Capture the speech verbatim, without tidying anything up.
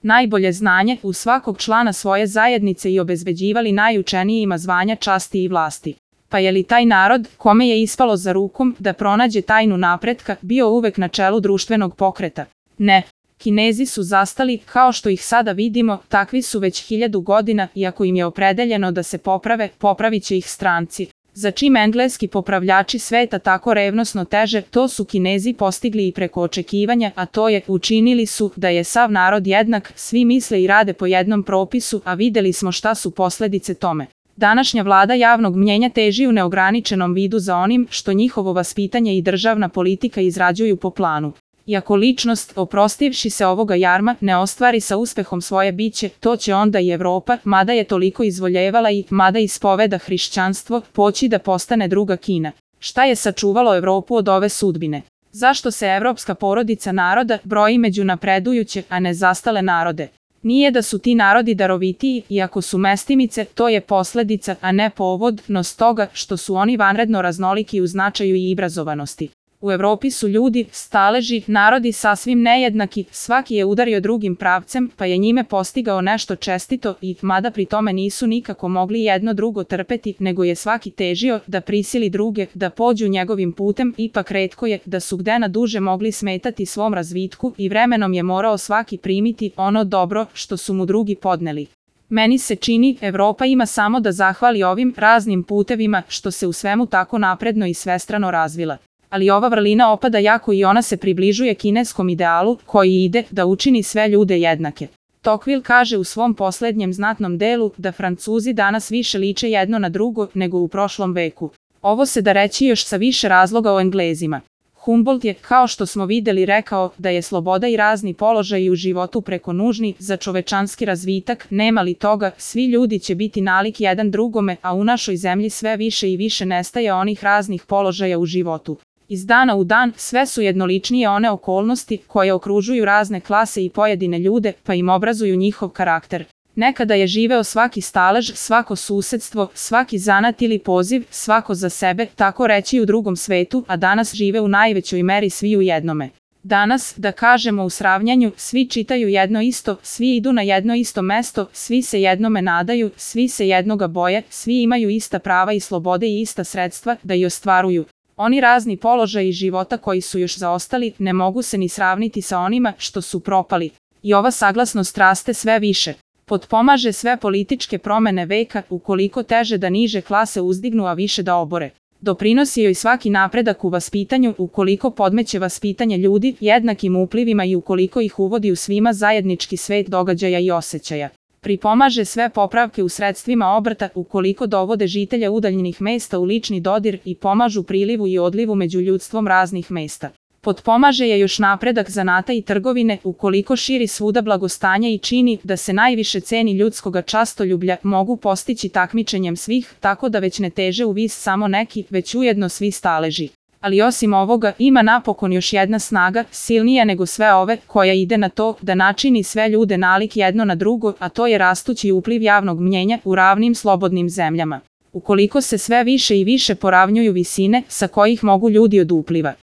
najbolje znanje u svakog člana svoje zajednice i obezbeđivali najučenijima zvanja časti i vlasti. Pa je li taj narod, kome je ispalo za rukom da pronađe tajnu napretka, bio uvek na čelu društvenog pokreta? Ne. Kinezi su zastali, kao što ih sada vidimo, takvi su već hiljadu godina i ako im je opredeljeno da se poprave, popravit će ih stranci. Za čim engleski popravljači sveta tako revnosno teže, to su Kinezi postigli i preko očekivanja, a to je, učinili su da je sav narod jednak, svi misle i rade po jednom propisu, a videli smo šta su posledice tome. Današnja vlada javnog mnjenja teži u neograničenom vidu za onim što njihovo vaspitanje i državna politika izrađuju po planu. Iako ličnost, oprostivši se ovoga jarma, ne ostvari sa uspehom svoje biće, to će onda i Evropa, mada je toliko izvoljevala i mada ispoveda hrišćanstvo, poći da postane druga Kina. Šta je sačuvalo Evropu od ove sudbine? Zašto se evropska porodica naroda broji među napredujuće, a ne zastale narode? Nije da su ti narodi darovitiji, iako su mestimice, to je posledica, a ne povod, no stoga što su oni vanredno raznoliki u značaju i obrazovanosti. U Evropi su ljudi, staleži, narodi sasvim nejednaki, svaki je udario drugim pravcem, pa je njime postigao nešto čestito i, mada pri tome nisu nikako mogli jedno drugo trpeti, nego je svaki težio da prisili druge, da pođu njegovim putem, ipak retko je da su gde na duže mogli smetati svom razvitku i vremenom je morao svaki primiti ono dobro što su mu drugi podneli. Meni se čini, Evropa ima samo da zahvali ovim raznim putevima što se u svemu tako napredno i svestrano razvila. Ali ova vrlina opada jako i ona se približuje kineskom idealu koji ide da učini sve ljude jednake. Tocqueville kaže u svom poslednjem znatnom delu da Francuzi danas više liče jedno na drugo nego u prošlom veku. Ovo se da reći još sa više razloga o Englezima. Humboldt je, kao što smo videli, rekao da je sloboda i razni položaji u životu preko nužni za čovečanski razvitak, nema li toga, svi ljudi će biti nalik jedan drugome, a u našoj zemlji sve više i više nestaje onih raznih položaja u životu. Iz dana u dan sve su jednoličnije one okolnosti koje okružuju razne klase i pojedine ljude, pa im obrazuju njihov karakter. Nekada je živeo svaki stalež, svako susedstvo, svaki zanat ili poziv, svako za sebe, tako reći u drugom svetu, a danas žive u najvećoj meri svi u jednome. Danas, da kažemo u sravnjanju, svi čitaju jedno isto, svi idu na jedno isto mesto, svi se jednome nadaju, svi se jednoga boje, svi imaju ista prava i slobode i ista sredstva da i ostvaruju. Oni razni položaji života koji su još zaostali ne mogu se ni sravniti sa onima što su propali. I ova saglasnost raste sve više. Potpomaže sve političke promene veka, ukoliko teže da niže klase uzdignu, a više da obore. Doprinosi joj svaki napredak u vaspitanju, ukoliko podmeće vaspitanje ljudi jednakim uplivima i ukoliko ih uvodi u svima zajednički svet događaja i osjećaja. Pripomaže sve popravke u sredstvima obrta, ukoliko dovode žitelje udaljenih mesta u lični dodir i pomažu prilivu i odlivu među ljudstvom raznih mesta. Potpomaže je još napredak zanata i trgovine, ukoliko širi svuda blagostanje i čini da se najviše ceni ljudskoga častoljublja mogu postići takmičenjem svih, tako da već ne teže u vis samo neki, već ujedno svi staleži. Ali osim ovoga, ima napokon još jedna snaga, silnija nego sve ove, koja ide na to da načini sve ljude nalik jedno na drugo, a to je rastući upliv javnog mnjenja u ravnim slobodnim zemljama. Ukoliko se sve više i više poravnjuju visine sa kojih mogu ljudi od upliva